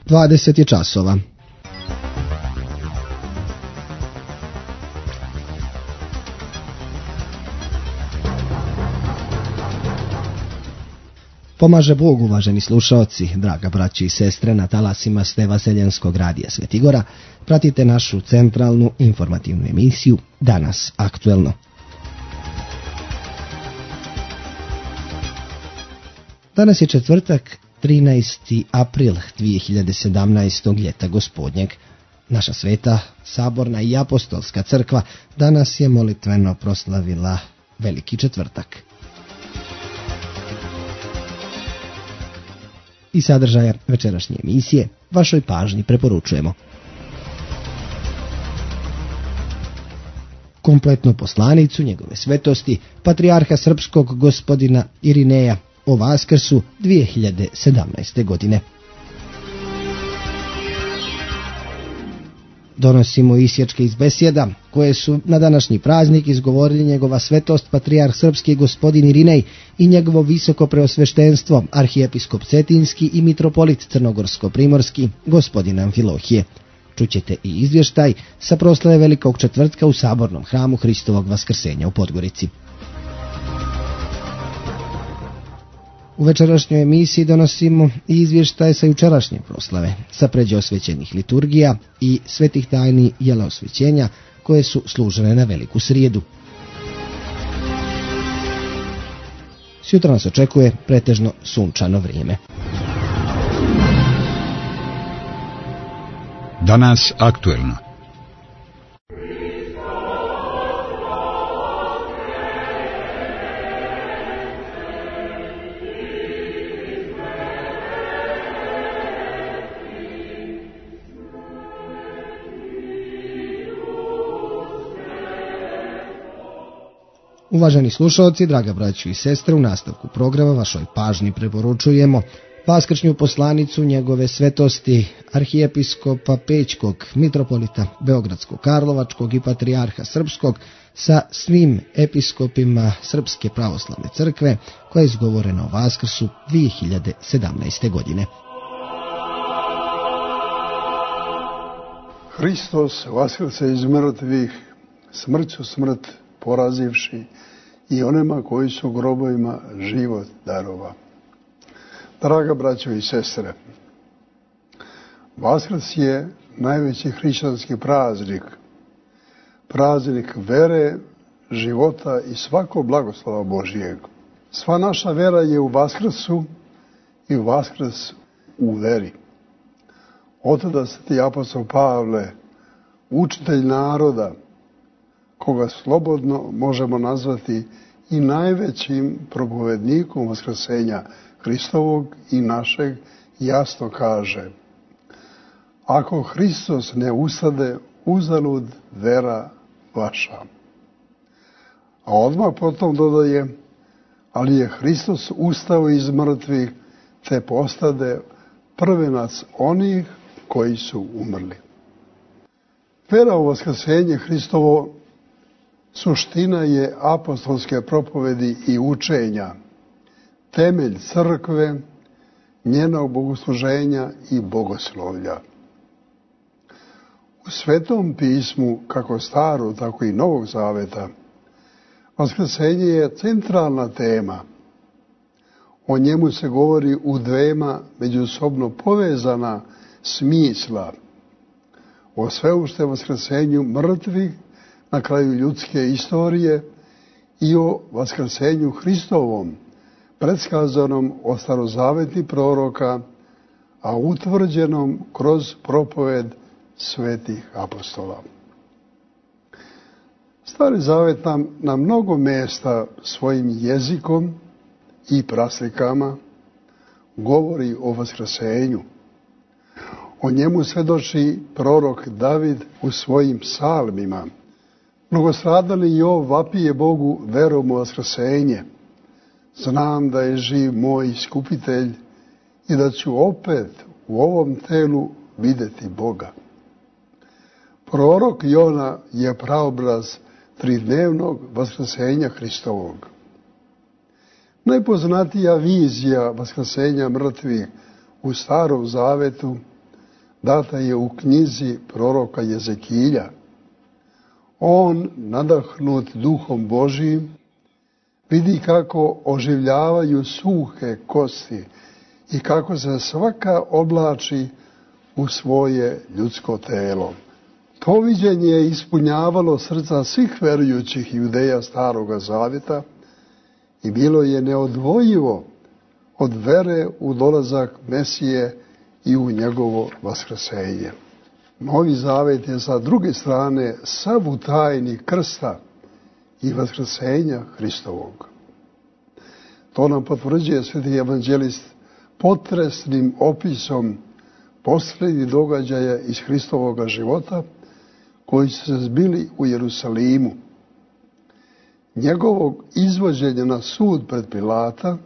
20 je časova. Pomaže Bog, uvaženi slušaoci, draga braći i sestre, na talasima ste Vaseljenskog radija Svetigora. Pratite našu centralnu informativnu emisiju Danas aktuelno. Danas je četvrtak, 13. april 2017. ljeta gospodnjeg. Naša sveta, saborna i apostolska crkva danas je molitveno proslavila Veliki četvrtak. I sadržaja večerašnje emisije vašoj pažnji preporučujemo. Kompletnu poslanicu njegove svetosti, patrijarha srpskog gospodina Irineja o Vaskrsu 2017. godine. Donosimo isječke iz besjeda koje su na današnji praznik izgovorili njegova svetost patrijarh srpski gospodin Irinej i njegovo visoko preosveštenstvo arhijepiskop Cetinski i mitropolit Crnogorsko-primorski gospodin Amfilohije. Čućete i izvještaj sa proslave Velikog četvrtka u sabornom hramu Hristovog Vaskrsenja u Podgorici. U večerašnjoj emisiji donosimo i izvještaje sa jučerašnje proslave, sa pređe osvećenih liturgija i svetih tajni jela osvećenja koje su služene na Veliku srijedu. Sutra nas očekuje pretežno sunčano vrijeme. Danas aktuelno. Uvaženi slušalci, draga braćo i sestre, u nastavku programa vašoj pažnji preporučujemo vaskršnju poslanicu njegove svetosti arhijepiskopa Pećkog, mitropolita Beogradsko-Karlovačkog i patrijarha srpskog sa svim episkopima Srpske pravoslavne crkve koja je izgovorena o Vaskrsu 2017. godine. Hristos vaskrse iz mrtvih, smrću smrt porazivši i onima koji su u grobovima život darova. Draga braćo i sestre, Vaskrs je najveći hrišćanski praznik, praznik vere, života i svakog blagoslova Božijeg. Sva naša vera je u Vaskrsu i Vaskrs u veri. Otada sveti apostol Pavle, učitelj naroda, koga slobodno možemo nazvati i najvećim propovednikom vaskrsenja Hristovog i našeg, jasno kaže: ako Hristos ne ustade, uzalud vera vaša. A odmah potom dodaje: ali je Hristos ustao iz mrtvih, te postade prvenac onih koji su umrli. Vera u vaskrsenje Hristovo suština je apostolske propovedi i učenja, temelj crkve, njenog bogosluženja i bogoslovlja. U Svetom pismu, kako Starog, tako i Novog Zaveta, vaskrsenje je centralna tema. O njemu se govori u dvema međusobno povezana smisla: o sveušte vaskrsenju mrtvih na kraju ljudske istorije i o vaskrsenju Hristovom, predskazanom od starozavetnih proroka, a utvrđenom kroz propoved svetih apostola. Stari Zavet nam na mnogo mjesta svojim jezikom i praslikama govori o vaskrsenju. O njemu svjedoči prorok David u svojim psalmima. Mnogostradali Jov vapije Bogu verom u vaskrsenje. Znam da je živ moj iskupitelj i da ću opet u ovom telu vidjeti Boga. Prorok Jona je praobraz tridnevnog vaskrsenja Hristovog. Najpoznatija vizija vaskrsenja mrtvih u Starom Zavetu data je u knjizi proroka Jezekilja. On, nadahnut duhom Božijim, vidi kako oživljavaju suhe kosti i kako se svaka oblači u svoje ljudsko telo. To viđenje je ispunjavalo srca svih verujućih Judeja Staroga Zavjeta i bilo je neodvojivo od vere u dolazak Mesije i u njegovo vaskrsenje. Novi Zavet je sa druge strane sav u tajni krsta i vaskrsenja Hristovog. To nam potvrđuje sveti evanđelist potresnim opisom posljednjih događaja iz Hristovoga života koji su se zbili u Jerusalimu. Njegovog izvođenja na sud pred Pilata,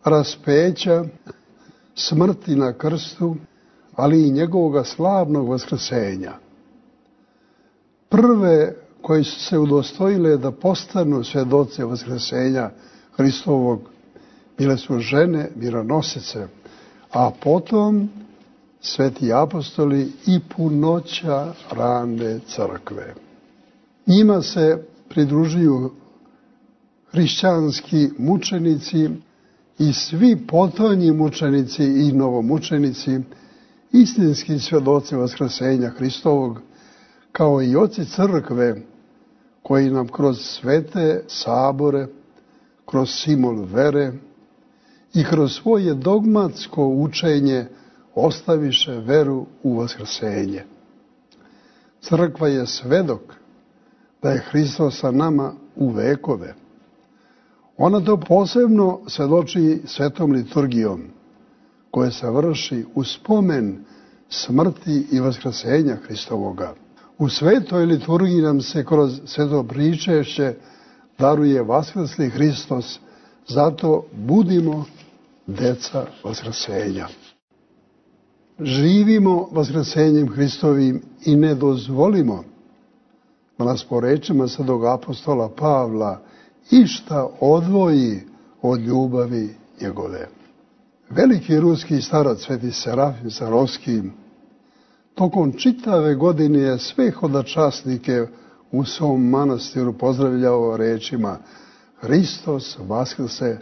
raspeća, smrti na krstu, ali i njegovoga slavnog vaskrsenja. Prve koji su se udostojile da postanu svjedoci vaskrsenja Hristovog bile su žene mironosice, a potom sveti apostoli i punoća rane crkve. Njima se pridružuju hrišćanski mučenici i svi potonji mučenici i novomučenici, istinski svjedoci vaskrsenja Hristovog, kao i oci crkve koji nam kroz svete sabore, kroz simul vere i kroz svoje dogmatsko učenje ostaviše veru u vaskrsenje. Crkva je svedok da je Hristos sa nama u vekove. Ona to posebno svjedoči svetom liturgijom, koja se vrši u spomen smrti i vaskrsenja Hristovoga. U svetoj liturgiji nam se kroz sveto pričešće daruje vaskrsli Hristos, zato budimo deca vaskrsenja. Živimo vaskrsenjem Hristovim i ne dozvolimo da nas po rečima svetog apostola Pavla išta odvoji od ljubavi njegove. Veliki ruski starac sveti Serafim Sarovski tokom čitave godine je sve hodočasnike u svom manastiru pozdravljao rečima: Hristos vaskrse,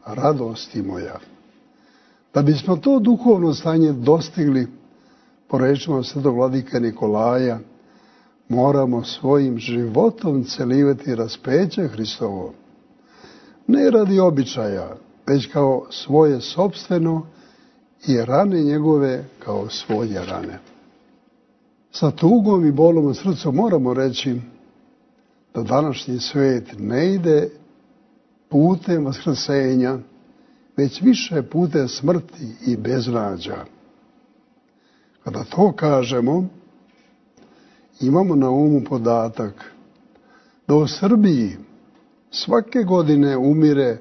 radosti moja. Da bismo to duhovno stanje dostigli, po rečima svetog vladike Nikolaja, moramo svojim životom celivati raspeće Hristovo. Ne radi običaja, već kao svoje sopstveno i rane njegove kao svoje rane. Sa tugom i bolom u srcu moramo reći da današnji svet ne ide putem vaskrsenja, već više putem smrti i beznađa. Kada to kažemo, imamo na umu podatak da u Srbiji svake godine umire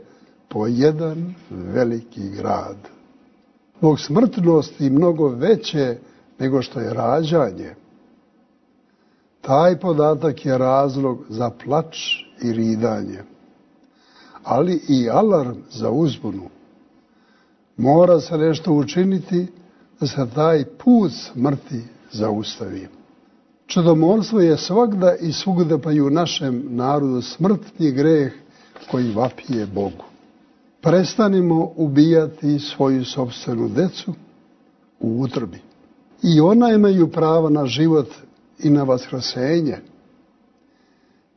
po jedan veliki grad. Zbog smrtnosti mnogo veće nego što je rađanje. Taj podatak je razlog za plač i ridanje, ali i alarm za uzbunu. Mora se nešto učiniti da se taj put smrti zaustavi. Čudomorstvo je svagda i svugda, pa i u našem narodu, smrtni greh koji vapije Bogu. Prestanimo ubijati svoju sopstvenu decu u utrobi. I ona imaju pravo na život i na vaskrsenje.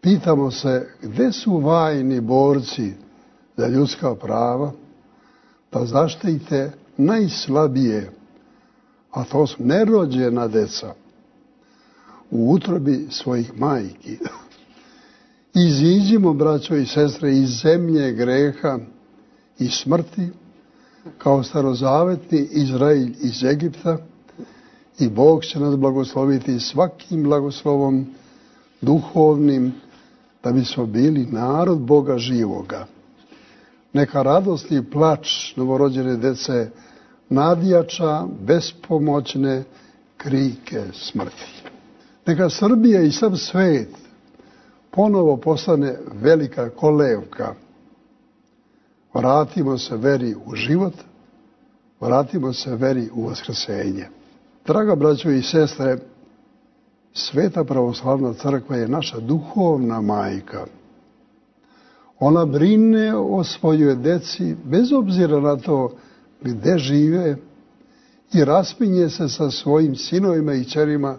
Pitamo se gde su vajni borci za ljudska prava da zaštite najslabije, a to su nerođena deca, u utrobi svojih majki. Iziđimo, braćo i sestre, iz zemlje greha i smrti, kao starozavetni Izrael iz Egipta, i Bog će nas blagosloviti svakim blagoslovom duhovnim, da bismo bili narod Boga živoga. Neka radost i plač novorođene dece nadjača bespomoćne krike smrti. Neka Srbija i sav svet ponovo postane velika kolevka. Vratimo se veri u život, vratimo se veri u vaskrsenje. Draga braćo i sestre, Sveta pravoslavna crkva je naša duhovna majka. Ona brine o svojoj deci bez obzira na to gdje žive i raspinje se sa svojim sinovima i kćerima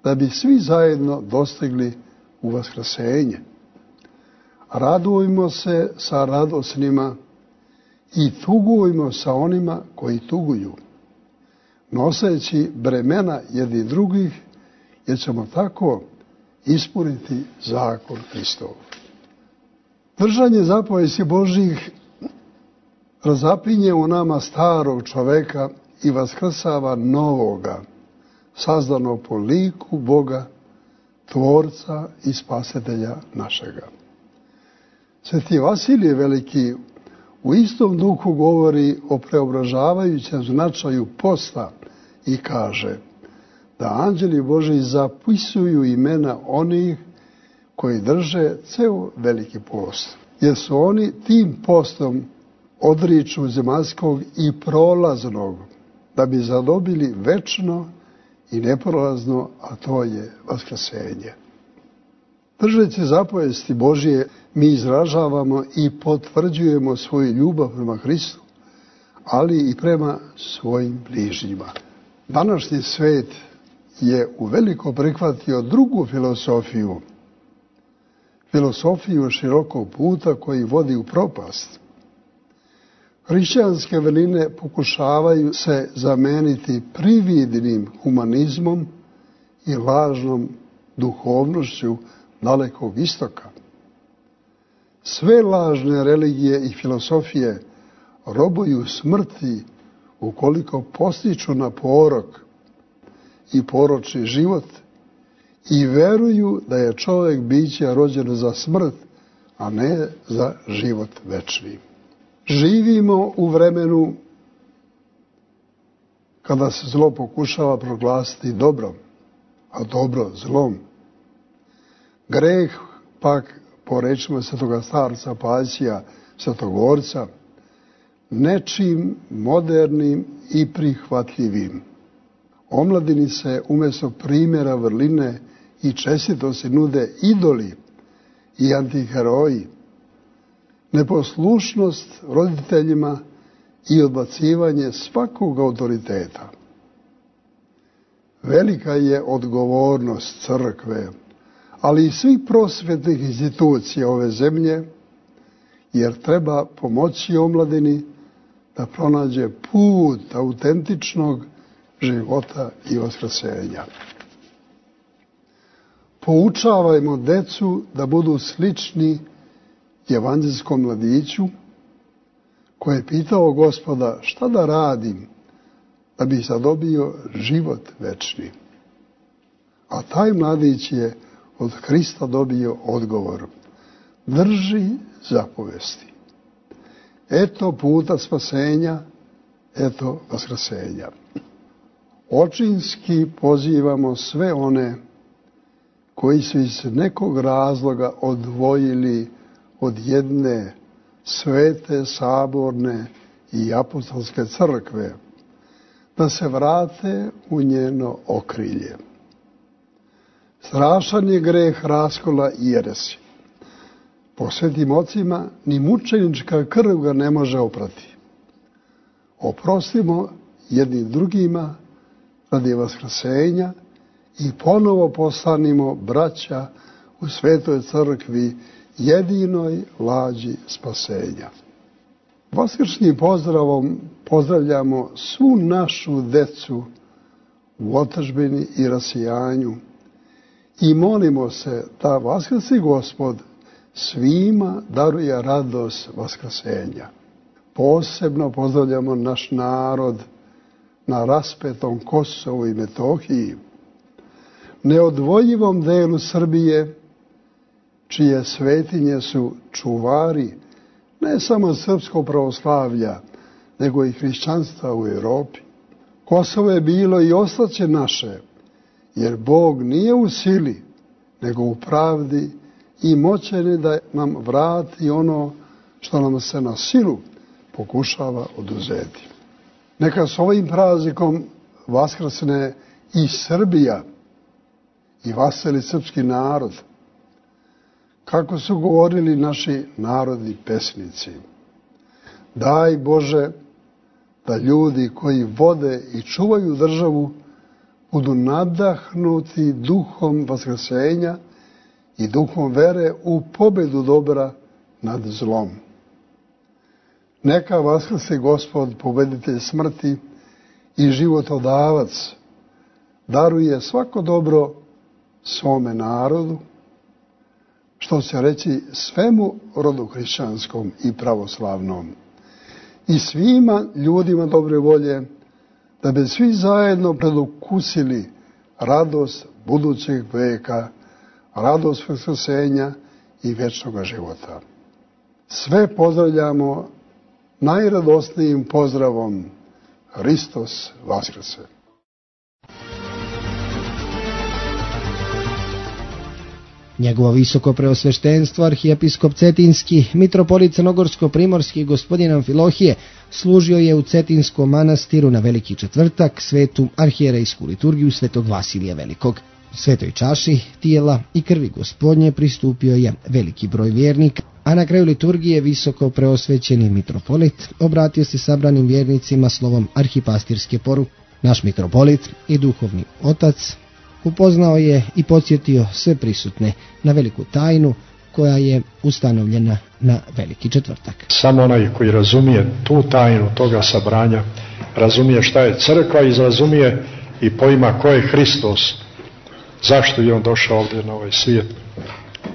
da bi svi zajedno dostigli u vaskrsenje. Radujmo se sa radosnima i tugujmo sa onima koji tuguju, noseći bremena jedni drugih, jer ćemo tako ispuniti zakon Hristov. Držanje zapovesti Božjih razapinje u nama starog čoveka i vaskrsava novoga, sazdanog po liku Boga, Tvorca i Spasitelja našega. Sveti Vasilije Veliki u istom duhu govori o preobražavajućem značaju posta i kaže da anđeli Božji zapisuju imena onih koji drže ceo veliki post, jer su oni tim postom odriču zemaljskog i prolaznog, da bi zadobili večno i neprolazno, a to je vaskrsenje. Držeći zapovesti Božje, mi izražavamo i potvrđujemo svoju ljubav prema Hristu, ali i prema svojim bližnjima. Današnji svet je uveliko prihvatio drugu filosofiju širokog puta koji vodi u propast. Hrišćanske vrline pokušavaju se zameniti prividnim humanizmom i lažnom duhovnošću dalekog istoka. Sve lažne religije i filosofije robuju smrti ukoliko postiču na porok i poročni život i veruju da je čovjek biće rođen za smrt, a ne za život večni. Živimo u vremenu kada se zlo pokušava proglasiti dobrom, a dobro zlom. Greh pak, po rečima svetoga starca Pasija, Svetogorca, nečim modernim i prihvatljivim. Omladini se umjesto primjera vrline i čestitosti nude idoli i antiheroji, neposlušnost roditeljima i odbacivanje svakog autoriteta. Velika je odgovornost crkve, ali i svih prosvjetnih institucija ove zemlje, jer treba pomoći omladini da pronađe put autentičnog života i vaskrsenja. Poučavajmo decu da budu slični evanđelskom mladiću koji je pitao Gospoda šta da radim da bi zadobio život večni. A taj mladić je od Hrista dobio odgovor: drži zapovesti. Eto puta spasenja, eto vaskrsenja. Očinski pozivamo sve one koji su iz nekog razloga odvojili od jedne svete, saborne i apostolske crkve, da se vrate u njeno okrilje. Strašan je greh raskola i jeresi. Po svetim ocima ni mučenička krv ga ne može oprati. Oprostimo jednim drugima radi vaskrsenja i ponovo postanimo braća u Svetoj crkvi, jedinoj lađi spasenja. Vaskršnjim pozdravom pozdravljamo svu našu decu u otadžbini i rasijanju i molimo se da vaskrsni Gospod svima daruje radost vaskrsenja. Posebno pozdravljamo naš narod na raspetom Kosovu i Metohiji, neodvojivom delu Srbije, čije svetinje su čuvari ne samo srpskog pravoslavlja, nego i hrišćanstva u Europi. Kosovo je bilo i ostaće naše, jer Bog nije u sili, nego u pravdi i moćan je da nam vrati ono što nam se na silu pokušava oduzeti. Neka s ovim praznikom vaskrsne i Srbija i vaseli srpski narod. Kako su govorili naši narodni pesnici. Daj Bože da ljudi koji vode i čuvaju državu budu nadahnuti duhom vaskrsenja i duhom vere u pobedu dobra nad zlom. Neka vaskrse Gospod, pobeditelj smrti i životodavac, daruje svako dobro svome narodu, što će reći svemu rodu hrišćanskom i pravoslavnom, i svima ljudima dobre volje, da bi svi zajedno predokusili radost budućeg veka, radost vaskrsenja i vječnog života. Sve pozdravljamo najradosnijim pozdravom: Hristos vaskrse! Njegovo visoko preosveštenstvo arhijepiskop Cetinski, mitropolit crnogorsko-primorski gospodin Amfilohije, služio je u Cetinskom manastiru na Veliki četvrtak svetu arhijerejsku liturgiju svetog Vasilija Velikog. Svetoj čaši tijela i krvi Gospodnje pristupio je veliki broj vjernika, a na kraju liturgije visoko preosvećeni mitropolit obratio se sabranim vjernicima slovom arhipastirske poruke. Naš mitropolit i duhovni otac upoznao je i podsjetio sve prisutne na veliku tajnu koja je ustanovljena na Veliki četvrtak. Samo onaj koji razumije tu tajnu toga sabranja, razumije šta je crkva i razumije i pojma ko je Hristos, zašto je on došao ovdje na ovaj svijet,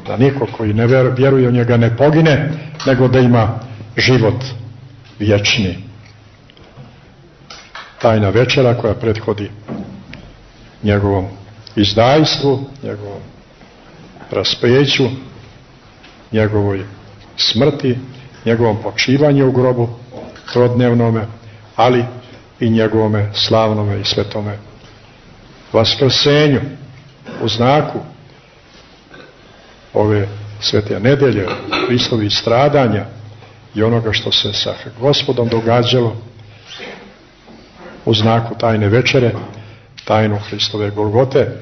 da niko koji ne vjeruje u njega ne pogine, nego da ima život vječni. Tajna večera koja prethodi njegovom izdajstvu, njegovom raspeću, njegovoj smrti, njegovom počivanju u grobu trodnevnome, ali i njegovome slavnome i svetome vaskrsenju u znaku ove svete nedelje, Hristovih stradanja i onoga što se sa Gospodom događalo u znaku tajne večere, tajnu Hristove Golgote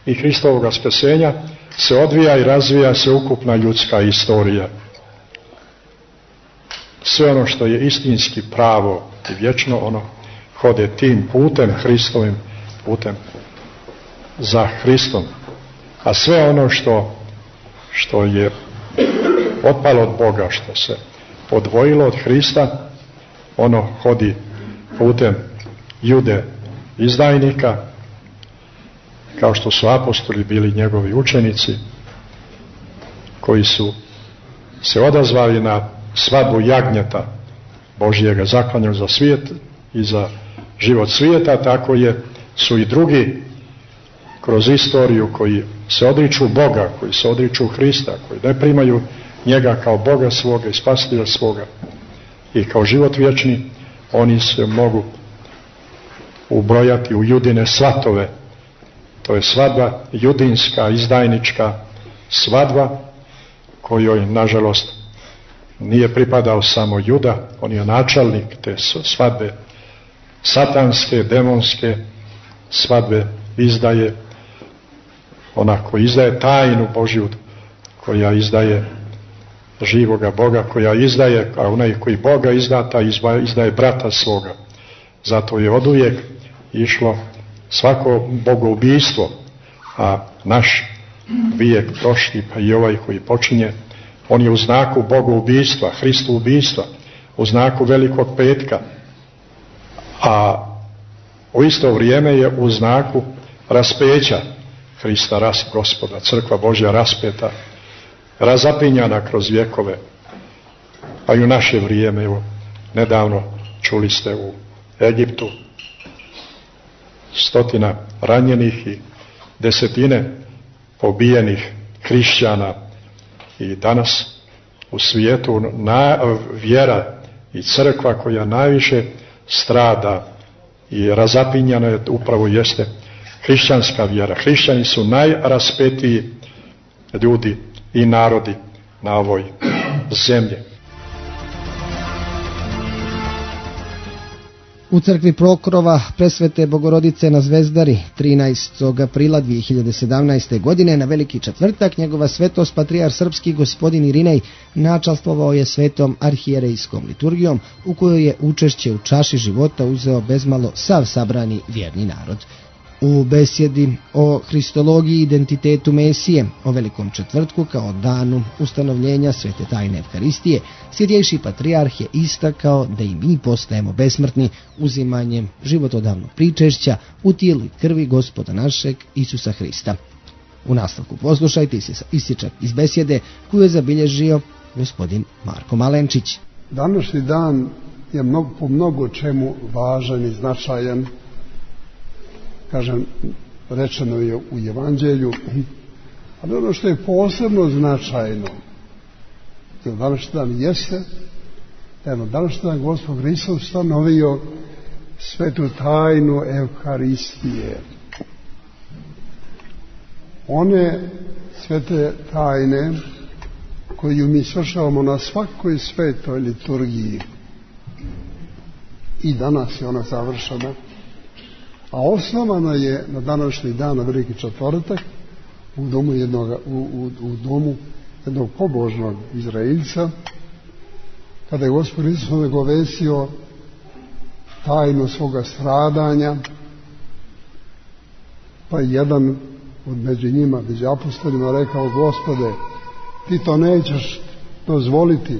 i Hristovog vaskrsenja se odvija i razvija se ukupna ljudska istorija. Sve ono što je istinski pravo i vječno, ono hode tim putem, Hristovim putem, za Hristom. A sve ono što je otpalo od Boga, što se odvojilo od Hrista, ono hodi putem Jude izdajnika, kao što su apostoli bili njegovi učenici, koji su se odazvali na svadbu jagnjeta Božjega, zaklanjanog za svijet i za život svijeta. Tako su i drugi kroz istoriju koji se odriču Boga, koji se odriču Hrista, koji ne primaju njega kao Boga svoga i spasitelja svoga i kao život vječni, oni se mogu ubrojati u Judine svatove. To je svadba judinska, izdajnička svadba, kojoj nažalost nije pripadao samo Juda, on je načelnik te svadbe, satanske, demonske svadbe izdaje, ona koja izdaje tajnu Božju, koja izdaje živoga Boga, koja izdaje, a onaj koji Boga izdata, izdaje brata svoga. Zato je oduvijek išlo svako bogoubijstvo, a naš vijek prošli, pa i ovaj koji počinje, on je u znaku bogoubijstva, Hristu ubijstva, u znaku Velikog petka, a u isto vrijeme je u znaku raspeća Hrista, Gospoda, crkva Božja raspeta, razapinjana kroz vjekove, pa i u naše vrijeme. Evo, nedavno čuli ste u Egiptu 100 ranjenih i 10 pobijenih hrišćana, i danas u svijetu vjera i crkva koja najviše strada i razapinjana je upravo jeste hrišćanska vjera. Hrišćani su najraspetiji ljudi i narodi na ovoj zemlji. U crkvi Pokrova Presvete Bogorodice na Zvezdari 13. aprila 2017. godine na Veliki četvrtak njegova svetost patrijar srpski gospodin Irinej načastvovao je svetom arhijerejskom liturgijom u kojoj je učešće u čaši života uzeo bezmalo sav sabrani vjerni narod. U besjedi o hristologiji i identitetu Mesije, o Velikom četvrtku kao danu ustanovljenja svete tajne Evharistije, svjetejši patrijarh je istakao da i mi postajemo besmrtni uzimanjem životodavnog pričešća u tijelu i krvi Gospoda našeg Isusa Hrista. U nastavku poslušajte isječak iz besjede koju je zabilježio gospodin Marko Malenčić. Današnji dan je po mnogo čemu važan i značajan. Kažem, rečeno je u Evanđelju, ali ono što je posebno značajno, današnji dan jeste, današnji dan Gospod Hristos ustanovio svetu tajnu Evharistije. One svete tajne koju mi svršavamo na svakoj svetoj liturgiji i danas je ona završena, a osnovana je na današnji dan, na Veliki četvrtak, u domu jednog pobožnog Izraelca, kada je Gospod Isus nagovestio tajnu svoga stradanja, pa jedan od među njima, među apostolima, rekao: Gospode, ti to nećeš dozvoliti,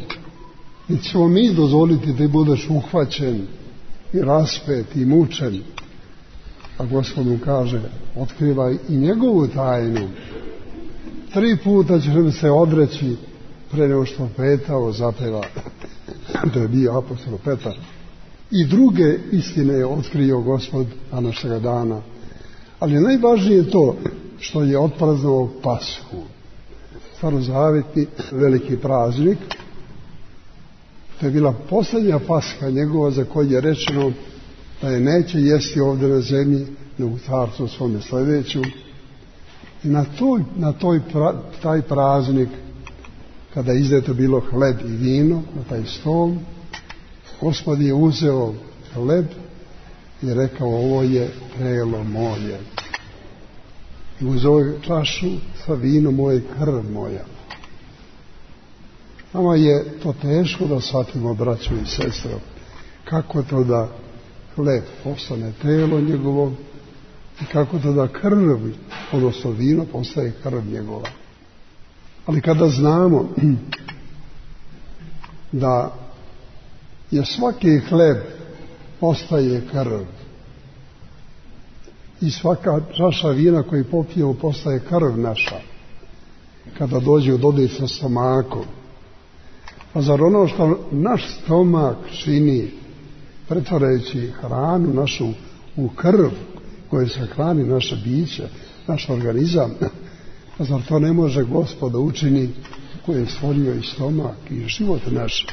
niti ćemo mi dozvoliti da budeš uhvaćen i raspet i mučen. A Gospod mu kaže: otkrivaj i njegovu tajnu. 3 puta ćeš mi se odreći pre nego što petao zapeva. To je bio apostol Petar. I druge istine je otkrio Gospod današnjega dana. Ali najvažnije je to što je otpraznovao Pashu. Starozavjetni veliki praznik. To je bila posljednja Pasha njegova za koju je rečeno da je neće jesti ovdje na zemlji, nego u carstvu svome sljedeću. I taj praznik, kada je izdato bilo hleb i vino na taj stol, Gospod je uzeo hleb i rekao: ovo je telo moje. I uzeo je čašu sa vinom moje, krv moja. Nama je to teško da shvatimo, braćo i sestro, kako to da hleb postane telo njegovo i kako to da krv, odnosno vino, postaje krv njegova. Ali kada znamo da je svaki hleb postaje krv i svaka čaša vina koju popijemo postaje krv naša, kada dođe u dodir sa stomakom, pa zar ono što naš stomak čini pretvarajući hranu našu u krv koje se hrani naše biće, naš organizam, pa zar to ne može Gospod da učini koji je stvorio i stomak i život naš?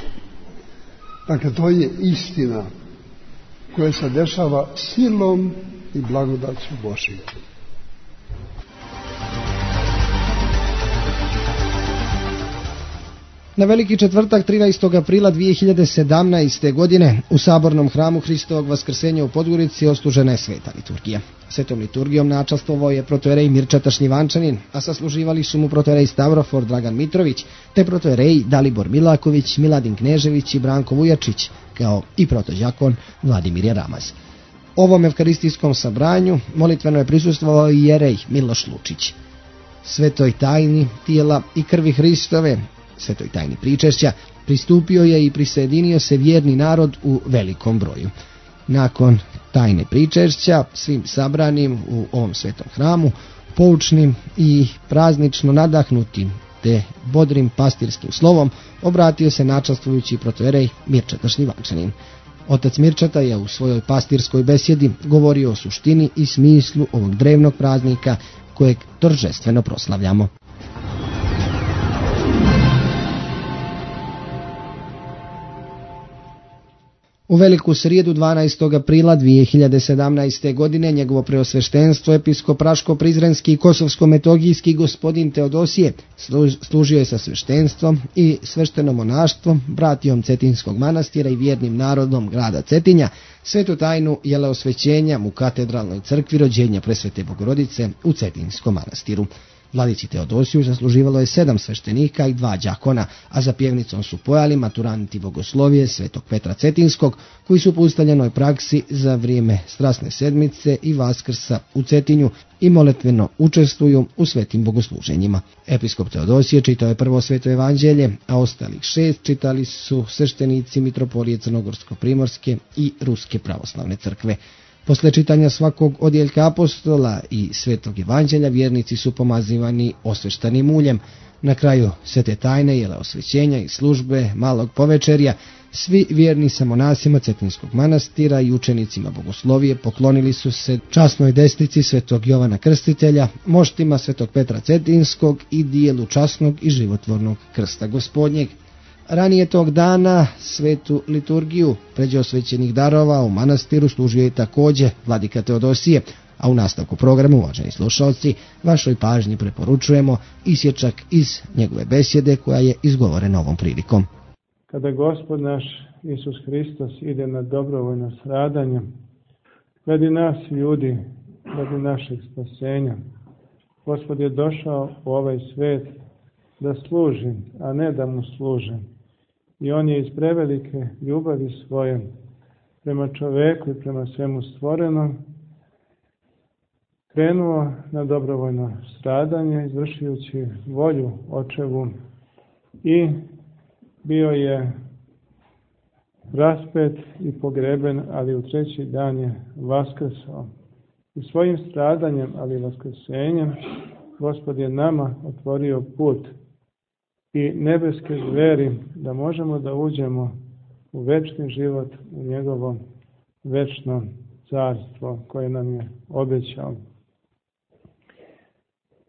Dakle, to je istina koja se dešava silom i blagodaću Božjom. Na Veliki četvrtak 13. aprila 2017. godine u Sabornom hramu Hristovog Vaskrsenja u Podgorici odslužena je sveta liturgija. Svetom liturgijom načastvovao je protojerej Mirčeta Šljivančanin, a sasluživali su mu protojerej Stavrofor Dragan Mitrović, te protojerej Dalibor Milaković, Miladin Knežević i Branko Vujačić, kao i protođakon Vladimir Jaramaz. Ovom evkaristijskom sabranju molitveno je prisustvovao i jerej Miloš Lučić. Svetoj tajni tijela i krvi Hristove, svetoj tajni pričešća, pristupio je i prisjedinio se vjerni narod u velikom broju. Nakon tajne pričešća svim sabranim u ovom svetom hramu, poučnim i praznično nadahnutim te bodrim pastirskim slovom, obratio se načastvujući protojerej Mirčeta Šljivančanin. Otac Mirčeta je u svojoj pastirskoj besjedi govorio o suštini i smislu ovog drevnog praznika kojeg торжествено proslavljamo. U veliku srijedu 12. aprila 2017. godine njegovo preosveštenstvo episkop Raško-Prizrenski i Kosovsko-Metogijski gospodin Teodosije služio je sa sveštenstvom i svešteno monaštvom, bratijom Cetinskog manastira i vjernim narodom grada Cetinja, svetu tajnu jeleosvećenja u katedralnoj crkvi rođenja Presvete Bogorodice u Cetinskom manastiru. Vladici Teodosiju zasluživalo je 7 sveštenika i 2 đakona, a za pjevnicom su pojali maturanti bogoslovije Svetog Petra Cetinskog, koji su po ustaljenoj praksi za vrijeme Strasne sedmice i Vaskrsa u Cetinju i moletveno učestvuju u svetim bogosluženjima. Episkop Teodosije čitao je prvo sveto evanđelje, a ostalih 6 čitali su sveštenici mitropolije Crnogorsko-primorske i Ruske pravoslavne crkve. Posle čitanja svakog odjeljka apostola i svetog evanđelja vjernici su pomazivani osveštanim uljem. Na kraju svete tajne jeleosvećenja i službe malog povečerja svi vjerni sa monasima Cetinskog manastira i učenicima bogoslovije poklonili su se časnoj desnici svetog Jovana Krstitelja, moštima svetog Petra Cetinskog i dijelu časnog i životvornog krsta Gospodnjeg. Ranije tog dana svetu liturgiju pređeosvećenih darova u manastiru služio je također vladika Teodosije, a u nastavku programa, uvaženi slušalci, vašoj pažnji preporučujemo isječak iz njegove besjede koja je izgovorena ovom prilikom. Kada Gospod naš Isus Hristos ide na dobrovoljno stradanje, radi nas ljudi, radi našeg spasenja, Gospod je došao u ovaj svet da služi, a ne da mu služe. I on je iz prevelike ljubavi svoje prema čoveku i prema svemu stvorenom krenuo na dobrovoljno stradanje, izvršujući volju Očevu, i bio je raspet i pogreben, ali u 3. dan je vaskrsao. I svojim stradanjem, ali vaskrsenjem, Gospod je nama otvorio put i nebeske zveri da možemo da uđemo u večni život, u njegovo večno carstvo koje nam je obećao.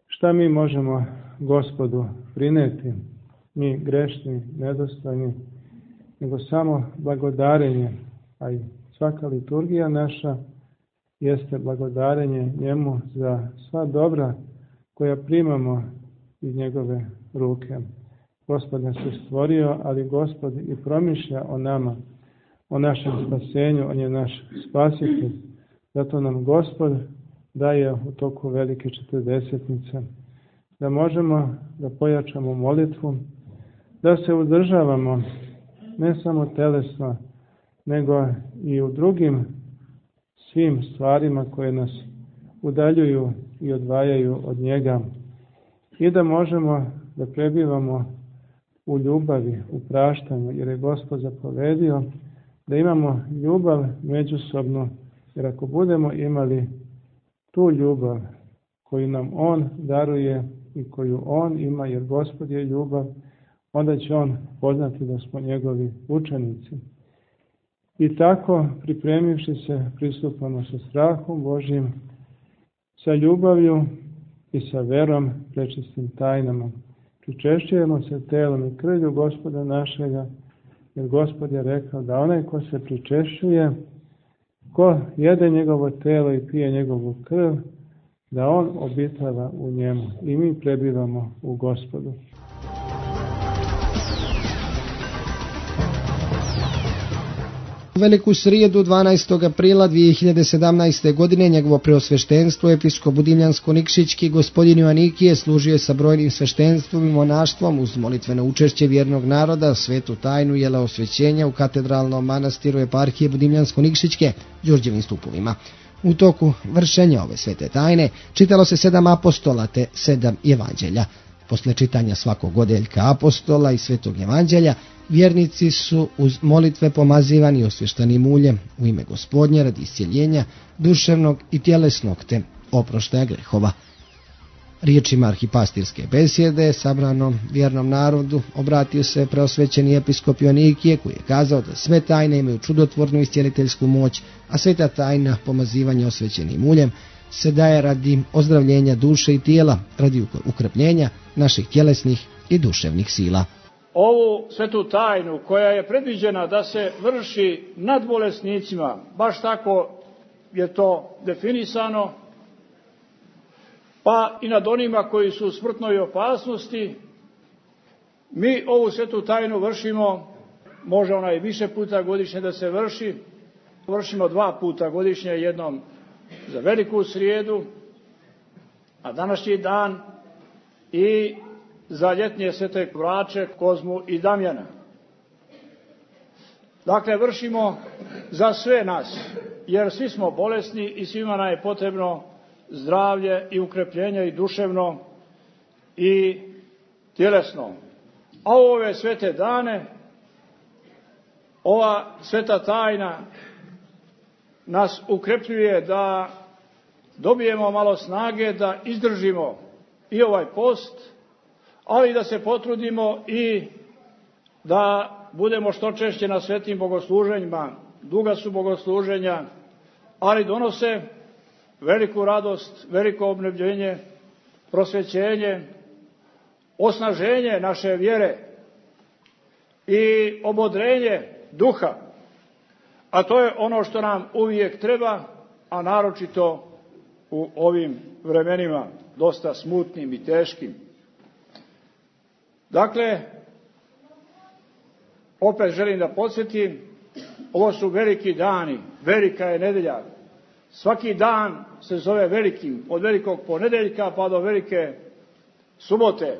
Šta mi možemo Gospodu prineti, mi grešni, nedostojni, nego samo blagodarenje, a i svaka liturgija naša jeste blagodarenje njemu za sva dobra koja primamo iz njegove ruke. Gospod nas je stvorio, ali Gospod i promišlja o nama, o našem spasenju, on je naš spasitelj. Zato nam Gospod daje u toku velike četrdesetnice da možemo da pojačamo molitvu, da se uzdržavamo ne samo telesno, nego i u drugim svim stvarima koje nas udaljuju i odvajaju od njega, i da možemo da prebivamo u ljubavi, u praštanju, jer je Gospod zapovedio da imamo ljubav međusobno, jer ako budemo imali tu ljubav koju nam on daruje i koju on ima, jer Gospod je ljubav, onda će on poznati da smo njegovi učenici. I tako, pripremivši se, pristupamo sa strahom Božjim, sa ljubavlju i sa verom prečistim tajnama. Pričešćujemo se telom i krvlju Gospoda našega, jer Gospod je rekao da onaj ko se pričešćuje, ko jede njegovo telo i pije njegovu krv, da on obitava u njemu i mi prebivamo u Gospodu. U veliku srijedu 12. aprila 2017. godine njegovo preosveštenstvo episkop Budimljansko-Nikšićki gospodin Joanikije služio je sa brojnim sveštenstvom i monaštvom uz molitveno učešće vjernog naroda svetu tajnu jeleosvećenja u katedralnom manastiru eparhije Budimljansko-Nikšićke Đurđevim stupovima. U toku vršenja ove svete tajne čitalo se 7 apostola te 7 evanđelja. Posle čitanja svakog odjeljka apostola i svetog evanđelja, vjernici su uz molitve pomazivani osvještanim uljem u ime Gospodnje radi iscjeljenja duševnog i tjelesnog te oproštaja grehova. Riječima arhipastirske besjede sabranom vjernom narodu obratio se preosvećeni episkop Joanikije, koji je kazao da sve tajne imaju čudotvornu iscjeliteljsku moć, a sveta tajna pomazivanja osvećenim uljem se daje radi ozdravljenja duše i tijela, radi ukrepljenja naših tjelesnih i duševnih sila. ovu svetu tajnu koja je predviđena da se vrši nad bolesnicima, baš tako je to definisano, pa i nad onima koji su u smrtnoj opasnosti, mi ovu svetu tajnu vršimo, može ona i više puta godišnje da se vrši, vršimo 2 puta godišnje, jednom za Veliku srijedu, a današnji dan i za ljetnje svete Vrače, Kozmu i Damjana. Dakle, vršimo za sve nas, jer svi smo bolesni i svima nam je potrebno zdravlje i ukrepljenje i duševno i tjelesno. A u ove svete dane, ova sveta tajna nas ukrepljuje da dobijemo malo snage, da izdržimo i ovaj post, ali da se potrudimo i da budemo što češće na svetim bogosluženjima. Duga su bogosluženja, ali donose veliku radost, veliko obnovljenje, prosvećenje, osnaženje naše vjere i obodrenje duha. A to je ono što nam uvijek treba, a naročito u ovim vremenima, dosta smutnim i teškim. Dakle, opet želim da podsjetim, ovo su veliki dani, velika je nedelja. Svaki dan se zove velikim, od velikog ponedeljka pa do velike subote,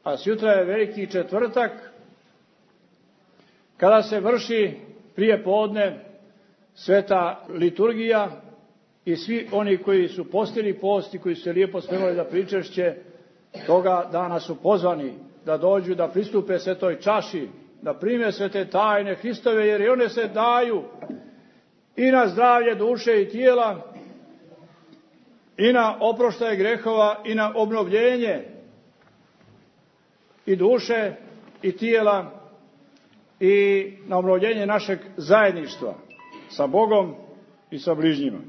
a sutra je veliki četvrtak, kada se vrši prije podne sveta liturgija i svi oni koji su postili post i koji su se lijepo spremali za pričešće, toga dana su pozvani da dođu, da pristupe svetoj čaši, da prime svete tajne Hristove, jer i one se daju i na zdravlje duše i tijela, i na oproštaj grehova, i na obnovljenje i duše i tijela, i na obnovljenje našeg zajedništva sa Bogom i sa bližnjima.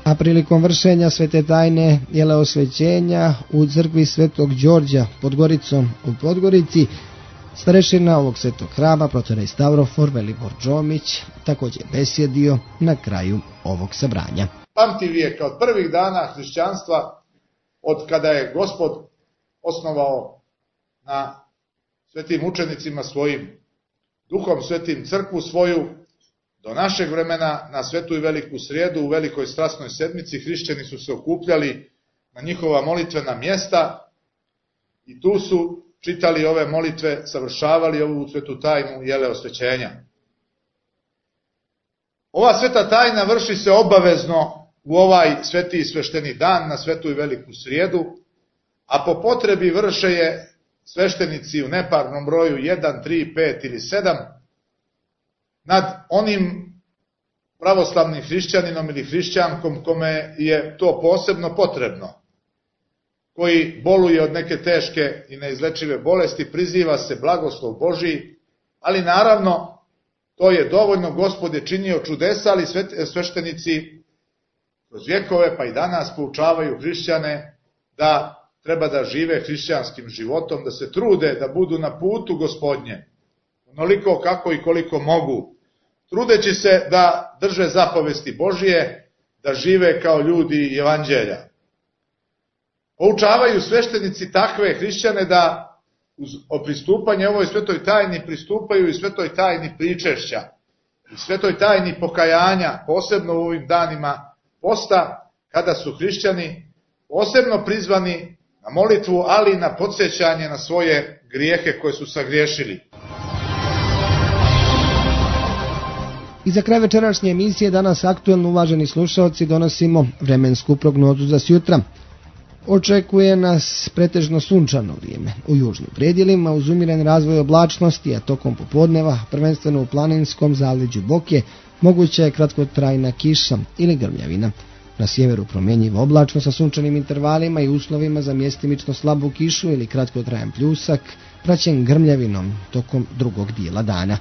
A prilikom vršenja svete tajne jeleosvećenja u crkvi Svetog Đorđa pod Goricom u Podgorici, starešina ovog svetog hrama, protorej Stavrofor Velibor Džomić, također besjedio na kraju ovog sabranja. Pamti vijeka od prvih dana hrišćanstva, od kada je Gospod osnovao na svetim učenicima svojim, Duhom svetim crkvu svoju, do našeg vremena na Svetu i Veliku srijedu u Velikoj strasnoj sedmici hrišćani su se okupljali na njihova molitvena mjesta i tu su čitali ove molitve, savršavali ovu svetu tajnu jeleosvećenja. Ova sveta tajna vrši se obavezno u ovaj sveti i svešteni dan na Svetu i Veliku srijedu, a po potrebi vrše je sveštenici u neparnom broju 1, 3, 5 ili 7 nad onim pravoslavnim hrišćaninom ili hrišćankom kome je to posebno potrebno, koji boluje od neke teške i neizlečive bolesti, priziva se blagoslov Božiji, ali naravno to je dovoljno, Gospod je činio čudesa, ali sveštenici kroz vjekove pa i danas poučavaju hrišćane da treba da žive hrišćanskim životom, da se trude da budu na putu Gospodnje, onoliko kako i koliko mogu, trudeći se da drže zapovesti Božije, da žive kao ljudi evanđelja. Poučavaju sveštenici takve hrišćane da uz pristupanje ovoj svetoj tajni pristupaju i svetoj tajni pričešća i svetoj tajni pokajanja, posebno u ovim danima posta, kada su hrišćani posebno prizvani na molitvu, ali i na podsjećanje na svoje grijehe koje su sagriješili. I za kraj večerašnje emisije danas aktuelno, uvaženi slušalci, donosimo vremensku prognozu za sjutra. Očekuje nas pretežno sunčano vrijeme u južnim predjelima uz umiren razvoj oblačnosti, a tokom popodneva, prvenstveno u planinskom zaleđu Boke, moguća je kratkotrajna kiša ili grmljavina. Na sjeveru promjenjiva oblačno sa sunčanim intervalima i uslovima za mjestimično slabu kišu ili kratkotrajan pljusak, praćen grmljavinom tokom drugog dijela dana.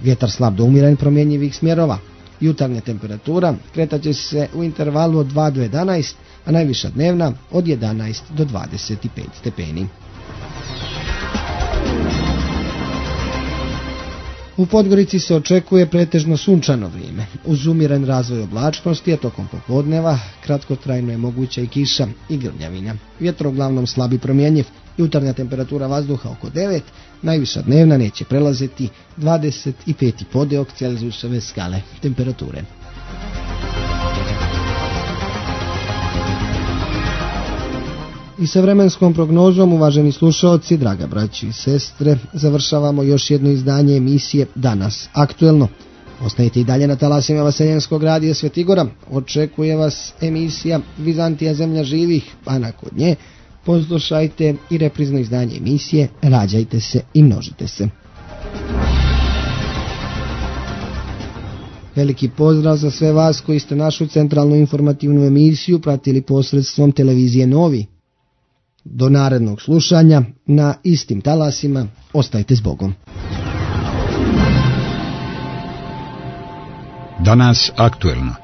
Vjetar slab do umiren promjenjivih smjerova. Jutarnja temperatura kretaće se u intervalu od 2 do 11, a najviša dnevna od 11 do 25 stepeni. U Podgorici se očekuje pretežno sunčano vrijeme, uz umiren razvoj oblačnosti, a tokom popodneva kratkotrajno je moguća i kiša i grmljavina. Vjetro uglavnom slab i promjenjiv, jutarnja temperatura vazduha oko 9, najviša dnevna neće prelaziti 25 podeok Celzijusove skale temperature. I sa vremenskom prognozom, uvaženi slušaoci, draga braći i sestre, završavamo još jedno izdanje emisije Danas aktuelno. Ostanite i dalje na talasima Vaseljenskog radija Svetigora. Očekuje vas emisija Vizantija zemlja živih, a nakon nje poslušajte i reprizno izdanje emisije Rađajte se i množite se. Veliki pozdrav za sve vas koji ste našu centralnu informativnu emisiju pratili posredstvom televizije Novi. Do narednog slušanja na istim talasima, ostajte s Bogom. Danas aktuelno.